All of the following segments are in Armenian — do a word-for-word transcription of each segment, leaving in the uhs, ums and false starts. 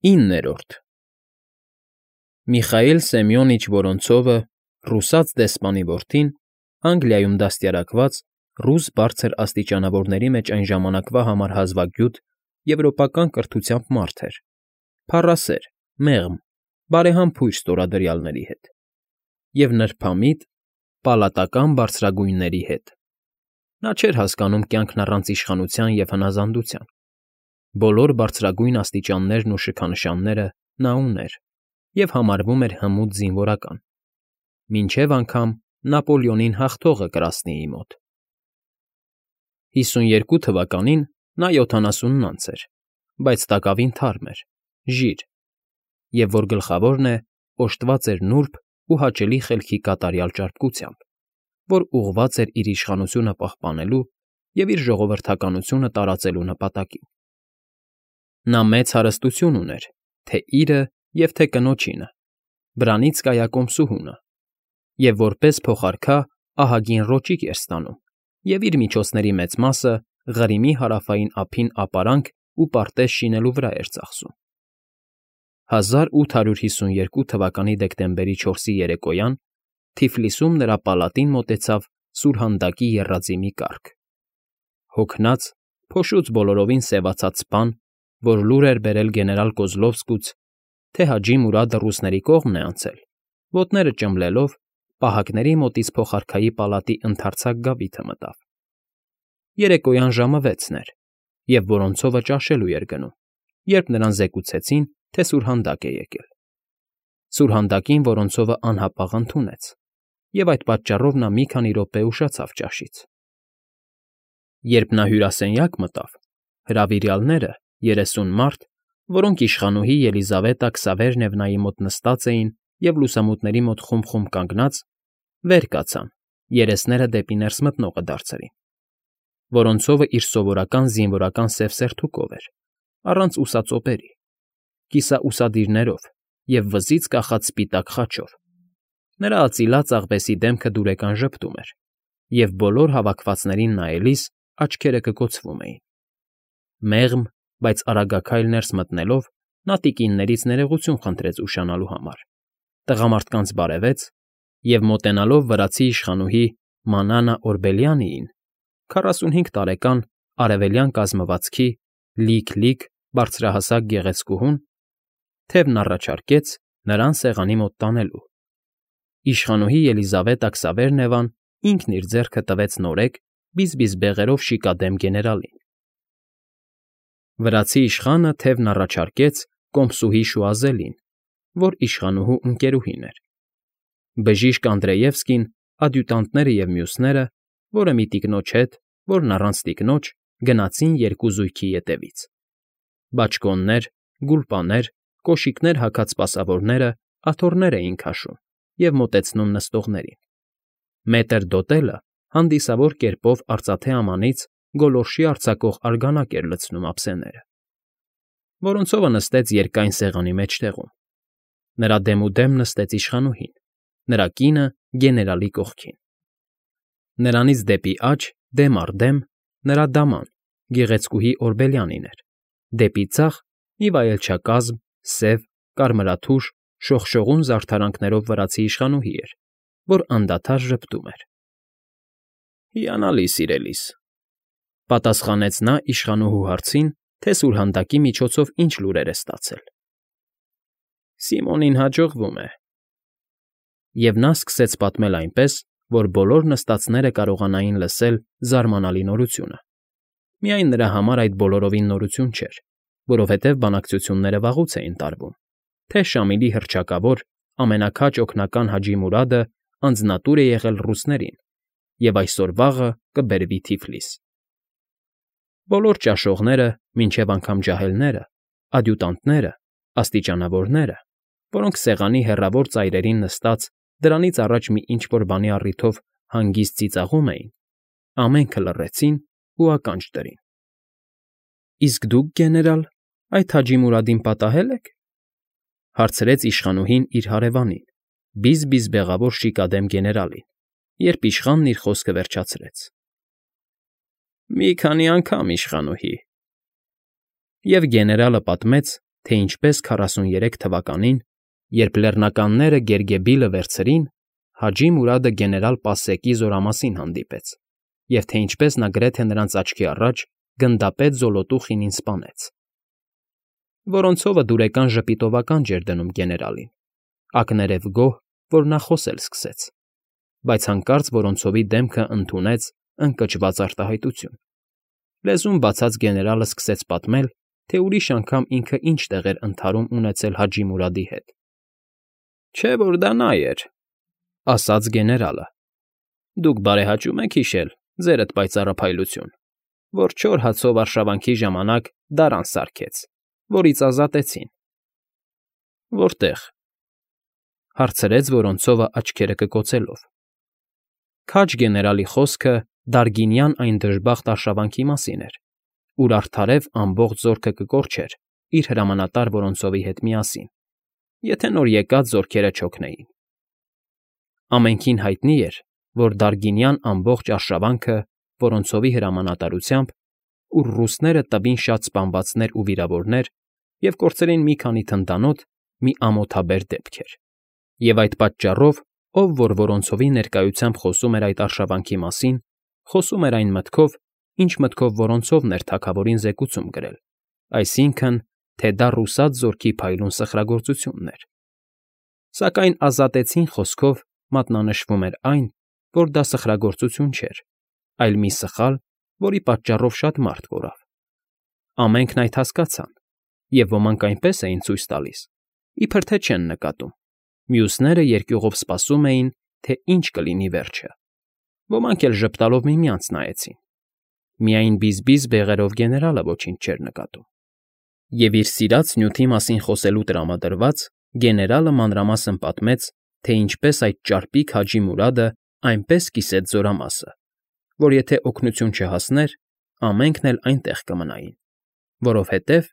ԻՆՆԵՐՈՐԴ Միխայիլ Սեմյոնիչ Վորոնցովը, ռուսաց դեսպանի որդին, Անգլիայում դաստիարակված, ռուս բարձր աստիճանավորների մեջ այն ժամանակվա համար հազվագյուտ, եվրոպական կրթությամբ մարդ էր, փառասեր, մեղմ, բարեհամբույր ստորադրյալների հետ և նրբամիտ, պալատական բարձրագույնների հետ. նա չէր հասկանում կյանքն առանց իշխանության և հնազանդության. բոլոր բարձրագույն աստիճաններն ու շքանշանները նա ուներ և համարվում էր հմուտ զինվորական, մինչև անգամ Նապոլեոնին հաղթողը Կրասնիի մոտ։ հիսունյերկու թվականին նա յոթանասունն անց էր, բայց տակավին թարմ էր, ժիր, և, որ գլխավորն է, օժտված էր նուրբ ու հաճելի խելքի կատարյալ ճարպկությամբ, որ ուղղված էր իր իշխանությունը պահպանելու և իր ժողովրդականությունը տարածելու նպատակին։ Նա մեծ հարստություն ուներ թե՛ իրը և թե՛ կնոջինը, Բրանիցկայա կոմսուհունը, և որպես փոխարքա ահագին ռոճիկ էր ստանում և իր միջոցների մեծ մասը Ղրիմի հարավային ափին ապարանք ու պարտեզ շինելու վրա էր ծախսում։ հազար ութ հարյուր հիսունյերկու թվականի դեկտեմբերի չորսի երեկոյան Թիֆլիսում նրա պալատին մոտեցավ սուրհանդակի եռաձի մի կառք. հոգնած, փոշուց բոլորովին սևացած սպան, որ լուր էր բերել գեներալ Կոզլովսկուց, թե Հաջի Մուրադը ռուսների կողմն է անցել, ոտները ճմլելով, պահակների մոտից փոխարքայի պալատի ընդարձակ գավիթը մտավ։ Երեկոյան ժամը վեցն էր, և Վորոնցովը ճաշելու էր գնում, երբ նրան զեկուցեցին, թե սուրհանդակ է եկել։ Սուրհանդակին Վորոնցովը անհապաղ ընդունեց, և այդ պատճառով նա մի քանի րոպե ուշացավ ճաշից։ Երբ նա հյուրասենյակ մտավ, հրավիրյալները՝ երեսուն մարդ, որոնք իշխանուհի Ելիզավետա Քսավերնևնայի մոտ նստած էին և լուսամուտների մոտ խումբ֊խումբ կանգնած, վեր կացան, երեսները դեպի ներս մտնողը դարձրին։ Վորոնցովը իր սովորական զինվորական սև սերթուկով էր, առանց ուսածոպերի, կիսաուսադիրներով և վզից կախած սպիտակ խաչով։ Նրա արծիլած աղվեսի դեմքը դուրեկան ժպտում էր, և բոլոր հավաքվածներին նայելիս աչքերը կկոցվում էին։ Մեղմ, բայց արագաքայլ ներս մտնելով՝ նա տիկիններից ներողություն խնդրեց ուշանալու համար, տղամարդկանց բարևեց և, մոտենալով վրացի իշխանուհի Մանանա Օրբելյանիին, քառասունհինգ տարեկան, արևելյան կազմվածքի, լիք֊լիք, բարձրահասակ գեղեցկուհուն, թևն առաջարկեց նրան սեղանի մոտ տանելու։ Իշխանուհի Ելիզավետա Քսավերնևան ինքն իր ձեռքը տվեց նորեկ, բիզբիզ բեղերով շիկադեմ գեներալին։ Վրացի իշխանը թևն առաջարկեց կոմսուհի Շուազելին, որ իշխանուհու ընկերուհին էր։ Բժիշկ Անդրեևսկին, ադյուտանտները և մյուսները, որը մի տիկնոջ հետ, որն առանց տիկնոջ, գնացին երկու զույգի ետևից։ Բաճկոններ, գուլպաներ, կոշիկներ հագած սպասավորները աթոռներ էին քաշում և մոտեցնում նստողներին։ Մետր Դոտելը հանդիսավոր կերպով արծաթե ամանից գոլորշի արձակող արգանակ էր լցնում ափսեները։ Վորոնցովը նստեց երկայն սեղանի մեջտեղում։ Նրա դեմուդեմ նստեց իշխանուհին, նրա կինը՝ գեներալի կողքին։ Նրանից դեպի աջ, դեմ առ դեմ, նրա դաման՝ գեղեցկուհի Օրբելյանին էր, դեպի ձախ՝ մի վայելչակազմ, սև, կարմրաթուշ, շողշողուն զարդարանքներով վրացի իշխանուհի էր, որ անդադար ժպտում էր։ ֊ Հիանալի, սիրելիս,֊ պատասխանեց նա իշխանուհու հարցին, թե սուրհանդակի միջոցով ինչ լուրեր է ստացել։ ֊ Սիմոնին հաջողվում է։ Եվ նա սկսեց պատմել այնպես, որ բոլոր նստածները կարողանային լսել զարմանալի նորությունը։ Միայն նրա համար այդ բոլորովին նորություն չէր, որովհետև բանակցությունները վաղուց էին տարվում, թե Շամիլի հռչակավոր, ամենաքաջ օգնական Հաջի Մուրադը անձնատուր է եղել ռուսներին և այսօր֊վաղը կբերվի Թիֆլիս։ Բոլոր ճաշողները, մինչև անգամ ջահելները, ադյուտանտները, աստիճանավորները, որոնք սեղանի հեռավոր ծայրերին նստած դրանից առաջ մի ինչ֊որ բանի առիթով հանգիստ ծիծաղում էին, ամենքը լռեցին ու ականջ դրին։ ֊ Իսկ դուք, գեներալ, այդ Հաջի Մուրադին պատահե՞լ եք,֊ հարցրեց իշխանուհին իր հարևանին, բիզ֊բիզ բեղավոր շիկադեմ գեներալին, երբ իշխանն իր խոսքը վերջացրեց։ ֊ Մի քանի անգամ, իշխանուհի։ Եվ գեներալը պատմեց, թե ինչպես քառասուներեք թվականին, երբ լեռնականները Գերգեբիլը վերցրին, Հաջի Մուրադը գեներալ Պասեկի զորամասին հանդիպեց, և թե ինչպես նա գրեթե նրանց աչքի առաջ գնդապետ Զոլոտուխինին սպանեց։ Որոնցովը դուրեկան ժպիտովական ջեր դնում գեներալին, ակներև գոհ, որ նա խոսել սկսեց, բայց հանկարծ Որոնցովի դեմքը ընդունեց ընկճված արտահայտություն։ Լեզուն բացած գեներալը սկսեց պատմել, թե ուրիշ անգամ ինքը ինչ տեղեր ընդհարում ունեցել Հաջի Մուրադի հետ։ Չէ՞ որ դա նա էր, ասաց գեներալը։ Դուք բարեհաճում եք հիշել, ձերդ պայծառափայլություն, որ չոր հացով արշավանքի ժամանակ դարան սարքեց, որից ազատեցին։ Որտե՞ղ, հարցրեց Որոնցովը աչքերը կկոցելով։ Քաջ գեներալի խոսքը Դարգինյան այն դժբախտ արշավանքի մասին էր, ուր արդարև ամբողջ զորքը կկորչեր իր հրամանատար Որոնցովի հետ միասին, եթե նոր եկած զորքերը չօգնեին։ Ամենքին հայտնի էր, որ Դարգինյան ամբողջ արշավանքը Որոնցովի հրամանատարությամբ, ուր ռուսները տվին շատ սպանվածներ ու վիրավորներ և կորցրին մի քանի թնդանոթ, մի ամոթաբեր դեպք էր, և այդ պատճառով, ով որ Որոնցովի ներկայությամբ խոսում էր այդ արշավանքի մասին, խոսում էր այն մտքով, ինչ մտքով Որոնցովն էր թագավորին զեկուցում գրել, այսինքն, թե դա ռուսաց զորքի փայլուն սխրագործությունն էր։ Սակայն ազատեցին խոսքով մատնանշվում էր այն, որ դա սխրագործություն չէր, այլ մի սխալ, որի պատճառով շատ մարդ կորավ։ Ամենքն այդ հասկացան, և ոմանք այնպես էին ցույց տալիս, իբր թե չեն նկատում, մյուսները երկյուղով սպասում էին, թե ինչ կլինի վերջը։ Ոմանք էլ ժպտալով միմյանց նայեցին։ Միայն բիզբիզ բեղերով գեներալը ոչինչ չէր նկատում։ Եվ իր սիրած նյութի մասին խոսելու տրամադրված գեներալը մանրամասն պատմեց, թե ինչպես այդ ճարպիկ Հաջի Մուրադը այնպես կիսեց զորամասը, որ եթե օգնություն չհասներ, ամենքն էլ այնտեղ կմնային, որովհետև…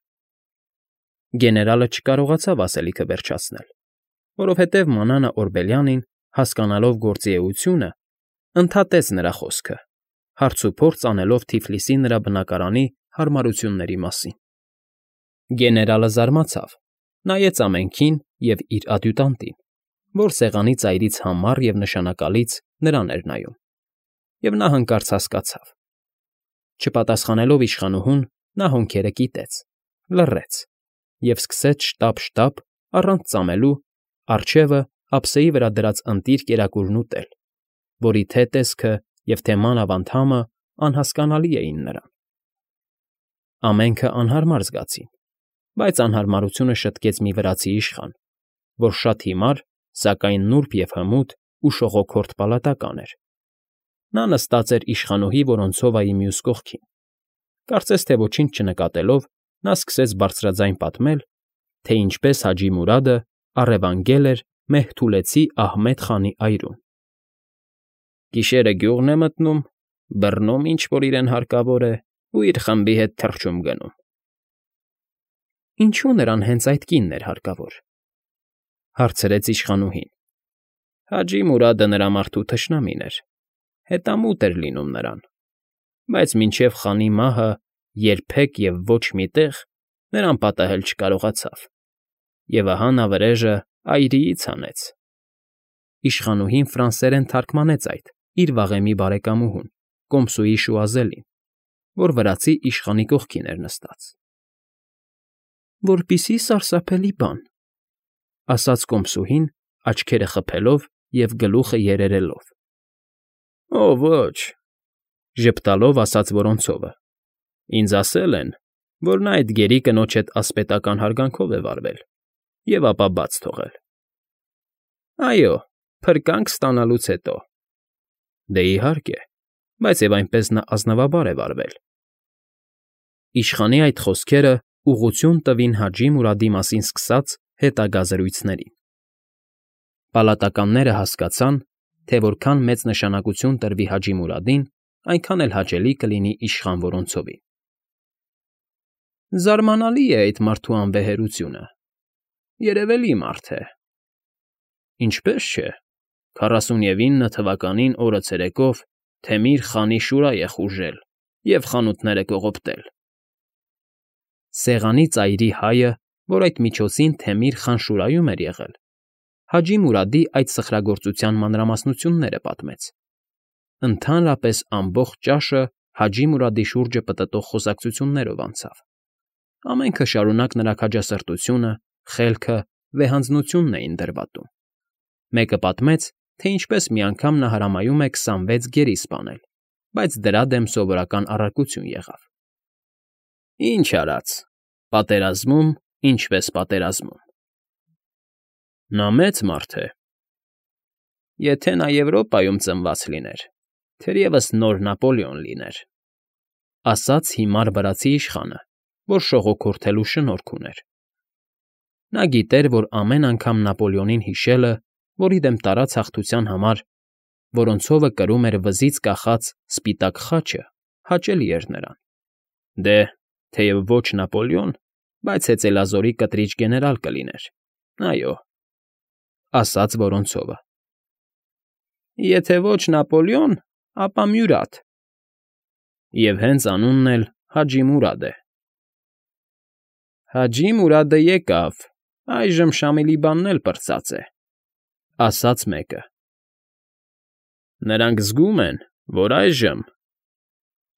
Գեներալը չկարողացավ ասելիքը վերջացնել, որովհետև Մանանա Օրբելյանին, հասկանալով գործի էությունը, ընդհատեց նրա խոսքը, հարցուփորձ անելով Թիֆլիսի նրա բնակարանի հարմարությունների մասին։ Գեներալը զարմացավ, նայեց ամենքին և իր ադյուտանտին, որ սեղանի ծայրից համառ և նշանակալից նրան էր նայում, և նա հանկարծ հասկացավ։ Չպատասխանելով իշխանուհուն, նա հոնքերը կիտեց, լռեց և սկսեց շտապ֊շտապ, առանց ծամելու, առջևը ափսեի վրա դրած ընտիր կերակուրն ուտել, որի թե՛ տեսքը և թե՛ մանավ անդամը անհասկանալի էին նրան։ Ամենքը անհարմար զգացին, բայց անհարմարությունը շտկեց մի վրացի իշխան, որ շատ հիմար, սակայն նուրբ և հմուտ ու շողոքորթ պալատական էր։ Նա նստած էր իշխանուհի Որոնցովայի մյուս կողքին։ Կարծես թե ոչինչ չնկատելով, նա սկսեց բարձրաձայն պատմել, թե ինչպես Հաջի Մուրադը առևանգել էր Մեհթուլեցի Ահմեդ խանի այրում։ Գիշերը գյուղն է մտնում, բռնում ինչ֊որ իրեն հարկավոր է ու իր խմբի հետ թռչում գնում։ Ինչո՞ւ նրան հենց այդ կինն էր հարկավոր, հարցրեց իշխանուհին։ Հաջի Մուրադը նրա մարդու թշնամին էր, հետամուտ էր լինում նրան, բայց մինչև խանի մահը երբեք և ոչ մի տեղ նրան պատահել չկարողացավ, և ահա նա վրեժը այրիից հանեց։ Իշխանուհին ֆրանսերեն թարգմանեց այդ իր վաղեմի բարեկամուհուն, կոմսուի Շուազելին, որ վրացի իշխանի կողքին էր նստած։ Որպիսի սարսափելի բան, ասաց կոմսուհին, աչքերը խփելով և գլուխը երերելով։ Օ ոչ, ժպտալով ասաց Որոնցովը, ինձ ասել են, որ նա այդ գերի կնոջ հետ ասպետական հարգանքով է վարվել և ապա բաց թողել։ Այո, փրկանք ստանալուց հետո։ Դե, իհարկե, բայց և այնպես նա ազնվաբար է վարվել։ Իշխանի այդ խոսքերը ուղղություն տվին Հաջի Մուրադի մասին սկսած հետագա զրույցներին։ Պալատականները հասկացան, թե որքան մեծ նշանակություն տրվի Հաջի Մուրադին, այնքան էլ հաճելի կլինի իշխան Որոնցովին։ Զարմանալի է այդ մարդու անվեհերությունը, երևելի մարդ է։ Ինչպե՞ս չէ, քառասունինը թվականին օրը ցերեկով Թեմիր խանի Շուրա է խուժել և խանութները կողոպտել։ Սեղանի ծայրի հայը որ այդ միջոցին Թեմիր խան Շուրայում էր եղել, Հաջի Մուրադի այդ սխրագործության մանրամասնությունները պատմեց. ընդհանրապես ամբողջ ճաշը Հաջի Մուրադի շուրջը պտտող խոսակցություններով անցավ. ամենքը շարունակ նրա քաջասրտությունը, խելքը, վեհանձնությունն էին դրվատում. մեկը պատմեց, թե ինչպես մի անգամ նա հրամայում է քսանվեց գերի սպանել, բայց դրա դեմ սովորական առարկություն եղավ. Ինչ արած, պատերազմում, ինչպես պատերազմում. Նա մեծ մարդ է. եթե նա Եվրոպայում ծնված լիներ, թերևս նոր Նապոլեոն լիներ, ասաց հիմար վրացի իշխանը, որ շողոքորթելու շնորք ուներ. նա գիտեր, որ ամեն անգամ Նապոլեոնին հիշելը, որի դեմ տարած հաղթության համար Որոնցովը կրում էր վզից կախած սպիտակ խաչը, հաճելի էր նրան. դե, թեև ոչ Նապոլեոն, բայց հեծելազորի կտրիչ գեներալ կլիներ, այո, ասաց Որոնցովը. եթե ոչ Նապոլեոն, ապա Մյուրադ, և հենց անունն էլ Հաջի Մուրադ է։ Հաջի Մուրադը եկավ, այժմ Շամիլի բանն էլ պրծած է, ասաց մեկը։ Նրանք զգում են, որ այժմ…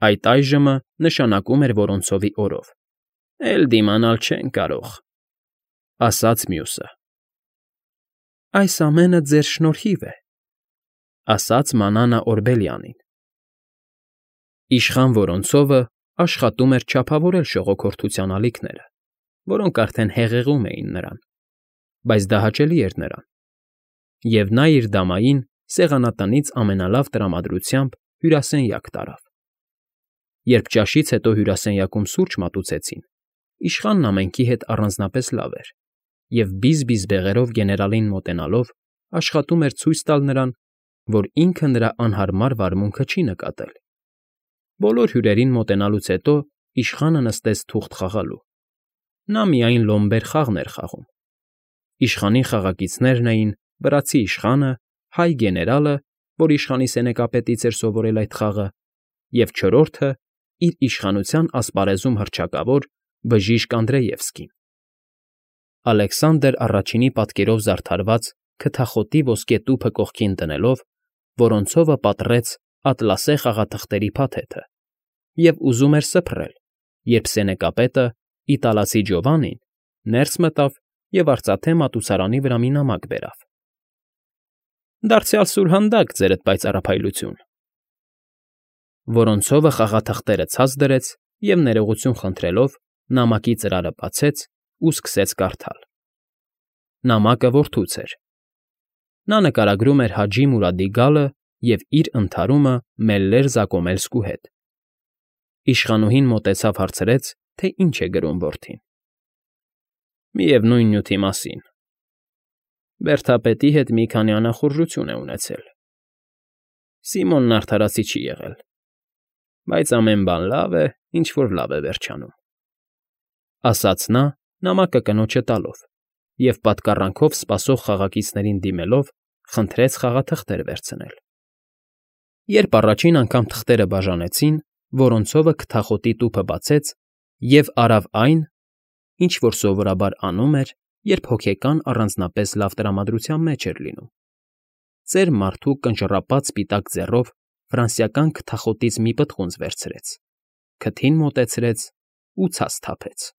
Այդ այժմը նշանակում էր Որոնցովի օրով, էլ դիմանալ չեն կարող, ասաց մյուսը։ Այս ամենը ձեր շնորհիվ է, ասաց Մանանա Օրբելյանին։ Իշխան Որոնցովը աշխատում էր չափավորել շողոքորթության ալիքները, որոնք արդեն հեղեղում էին նրան, բայց դա հաճելի էր նրան, և նա իր դամային սեղանատնից ամենալավ տրամադրությամբ հյուրասենյակ տարավ։ Երբ ճաշից հետո հյուրասենյակում սուրճ մատուցեցին, իշխանն ամենքի հետ առանձնապես լավ էր և բիզ֊բիզ բեղերով գեներալին մոտենալով աշխատում էր ցույց տալ նրան, որ ինքը նրա անհարմար վարմունքը չի նկատել։ Բոլոր հյուրերին մոտենալուց հետո իշխանը նստեց թուղթ խաղալու։ Նա միայն լոմբեր խաղն էր խաղում։ Իշխանի խաղակիցներն էին վրացի իշխանը, հայ գեներալը, որ իշխանի սենեկապետից էր սովորել այդ խաղը, և չորրորդը իր իշխանության ասպարեզում հռչակավոր Բժիշկ Անդրեևսկին։ Ալեքսանդր առաջինի պատկերով զարդարված քթախոտի ոսկե տուփը կողքին դնելով, Որոնցովը պատռեց ատլասե խաղաթղթերի փաթեթը և ուզում էր սփռել, երբ սենեկապետը, իտալացի Ջովանին, ներս մտավ և արծաթե մատուցարանի վրա մի նամակ բերավ։ Դարձյալ սուրհանդակ, ձերդ պայծառափայլություն։ Որոնցովը խաղաթղթերը ցած դրեց և, ներողություն խնդրելով, նամակի ծրարը բացեց ու սկսեց կարդալ։ Նամակը որդուց էր։ Նա նկարագրում էր Հաջի Մուրադի գալը և իր ընդհարումը Մելլեր֊Զակոմելսկու հետ։ Իշխանուհին մոտեցավ հարցրեց, թե ինչ է գրում որդին։ Միևնույն նյութի մասին։ Բերդապետի հետ մի քանի անախորժություն է ունեցել։ Սիմոնն արդարացի չի եղել, բայց ամեն բան լավ է, ինչ որ լավ է վերջանում, ասաց նա, նամակը կնոջը տալով, և պատկառանքով սպասող խաղակիցներին դիմելով խնդրեց խաղաթղթեր վերցնել։ Երբ առաջին անգամ թղթերը բաժանեցին, Որոնցովը քթախոտի տուփը բացեց և արավ այն, ինչ որ սովորաբար անում էր, երբ հոգեկան առանձնապես լավ տրամադրության մեջ էր լինում. ծեր մարդու կնճռապած սպիտակ ձեռով ֆրանսիական քթախոտից մի պտղունց վերցրեց, քթին մոտեցրեց ու ցած թափեց։